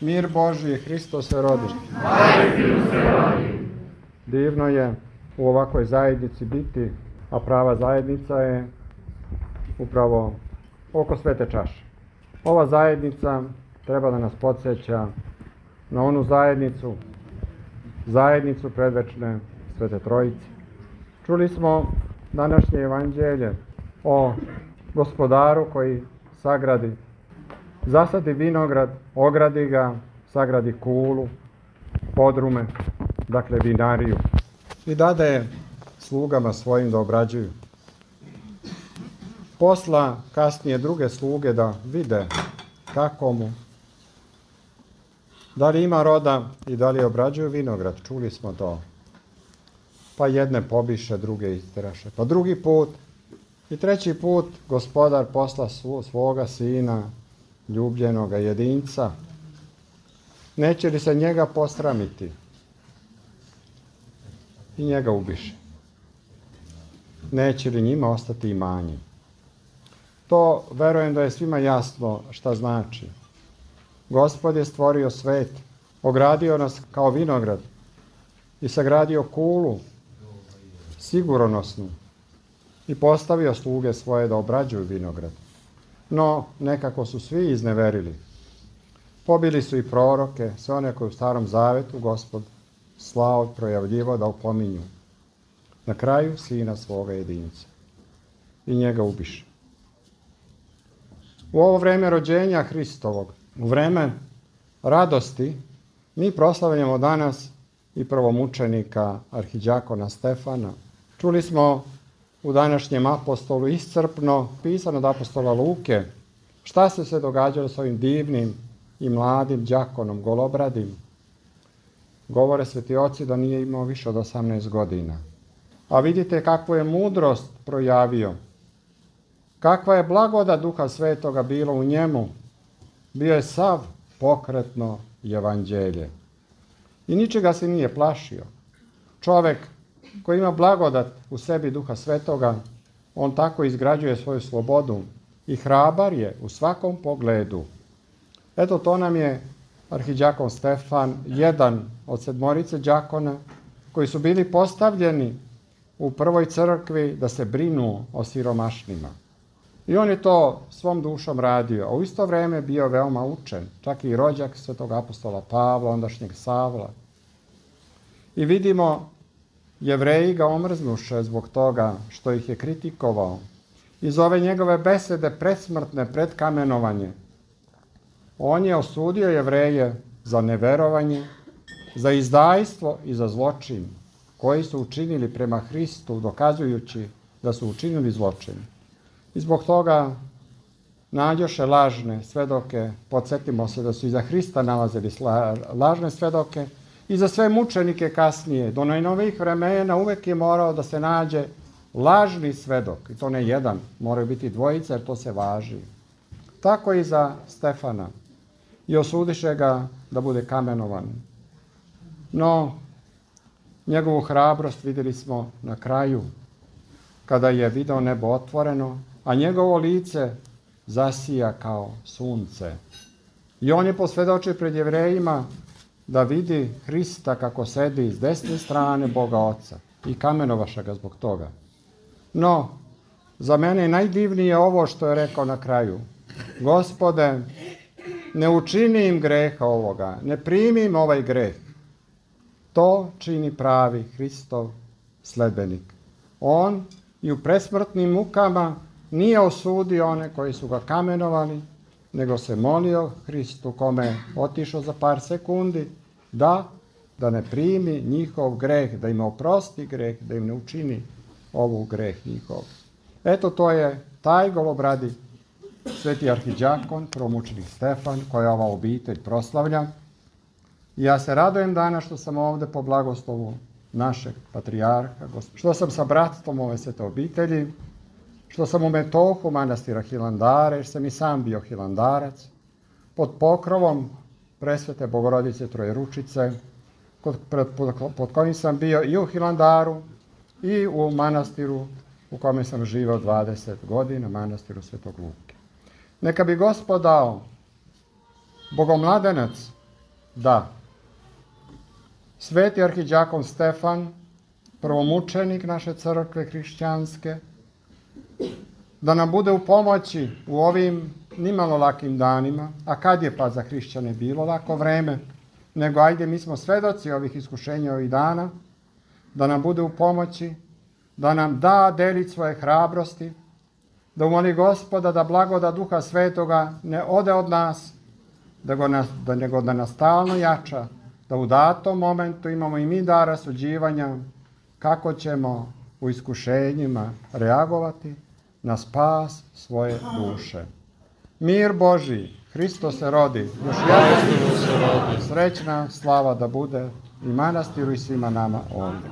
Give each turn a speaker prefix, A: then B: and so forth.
A: Mir Božji, Hristos se rodi. Divno je u ovakvoj zajednici biti, a prava zajednica je upravo oko svete čaše. Ova zajednica treba da nas podsjeća na onu zajednicu predvečne Svete Trojice. Čuli smo današnje evanđelje o gospodaru koji zasadi vinograd, ogradi ga, sagradi kulu, podrume, dakle vinariju, i dade slugama svojim da obrađuju. Posla kasnije druge sluge da vide kako mu, da li ima roda i da li obrađuju vinograd. Čuli smo to. Pa jedne pobiše, druge isteraše. Pa drugi put i treći put gospodar posla svoga sina, ljubljenoga jedinca. Neće li se njega posramiti? I njega ubiše. Neće li njima ostati imanje? To verujem da je svima jasno šta znači. Gospod je stvorio svet, ogradio nas kao vinograd i sagradio kulu sigurnosnu i postavio sluge svoje da obrađuju vinograd. No, nekako su svi izneverili. Pobili su i proroke, sve one koje u Starom Zavetu Gospod slao, projavljivo da opominju. Na kraju sina svoga jedinca. I njega ubiše. U ovo vreme rođenja Hristovog, u vreme radosti, mi proslavljamo danas i prvomučenika arhidjakona Stefana. Čuli smo u današnjem apostolu iscrpno pisano od apostola Luke šta se događalo s ovim divnim i mladim đakonom, golobradim. Govore sveti oci da nije imao više od 18 godina. A vidite kakvu je mudrost projavio. Kakva je blagodat Duha Svetoga bilo u njemu. Bio je sav pokretno evanđelje. I ničega se nije plašio. Čovek koji ima blagodat u sebi Duha Svetoga, on tako izgrađuje svoju slobodu i hrabar je u svakom pogledu. Eto, to nam je arhidjakon Stefan, jedan od 7 đakona koji su bili postavljeni u prvoj crkvi da se brinu o siromašnima. I on je to svom dušom radio, a u isto vreme bio veoma učen, čak i rođak svetog apostola Pavla, ondašnjeg Savla. I vidimo, Jevreji ga omrznuše zbog toga što ih je kritikovao. Iz ove njegove besede predsmrtne, pred kamenovanje, on je osudio Jevreje za neverovanje, za izdajstvo i za zločin koji su učinili prema Hristu, dokazujući da su učinili zločin. I zbog toga nađoše lažne svedoke. Podsjetimo se da su i za Hrista nalazili lažne svedoke i za sve mučenike kasnije. Do najnovijih vremena uvek je morao da se nađe lažni svedok. I to ne jedan, moraju biti dvojica jer to se važi. Tako i za Stefana. I osudiše ga da bude kamenovan. No, njegovu hrabrost vidjeli smo na kraju, kada je video nebo otvoreno, a njegovo lice zasija kao sunce. I on je posvjedočio pred Jevrejima da vidi Hrista kako sedi s desne strane Boga Oca i kamenovaše ga zbog toga. No, za mene je najdivnije ovo što je rekao na kraju. Gospode, ne učini im greha ovoga, ne primi im ovaj greh. To čini pravi Hristov sledbenik. On i u presmrtnim mukama nije osudio one koji su ga kamenovali, nego se molio Hristu, kome je otišao za par sekundi, da ne primi njihov greh, da im oprosti greh, da im ne učini ovu greh njihov. Eto, to je taj golobradi sveti arhidjakon, prvomučenik Stefan, koja ova obitelj proslavlja. I ja se radujem danas što sam ovde po blagoslovu našeg patrijarha, što sam sa bratstvom ove svete obitelji, što sam u metohu manastira Hilandara, jer sam i sam bio hilandarac, pod pokrovom presvete Bogorodice Trojeručice, pod kojim sam bio i u Hilandaru i u manastiru u kome sam živao 20 godina, manastiru Svetog Luke. Neka bi Gospod dao, Bogomladenac, da sveti arhidjakon Stefan, prvomučenik naše crkve hrišćanske, da nam bude u pomoći u ovim nimalo lakim danima, a kad je pa za hrišćane bilo lako vreme, nego ajde, mi smo svedoci ovih iskušenja ovih dana, da nam bude u pomoći, da nam da delić svoje hrabrosti, da umoli Gospoda da blagoda Duha Svetoga ne ode od nas, nego da nas stalno jača, da u datom momentu imamo i mi dar rasuđivanja kako ćemo u iskušenjima reagovati na spas svoje duše. Mir Božji, Hristos se rodi, još jednom se rodi, srećna slava da bude i manastiru i svima nama ovdje.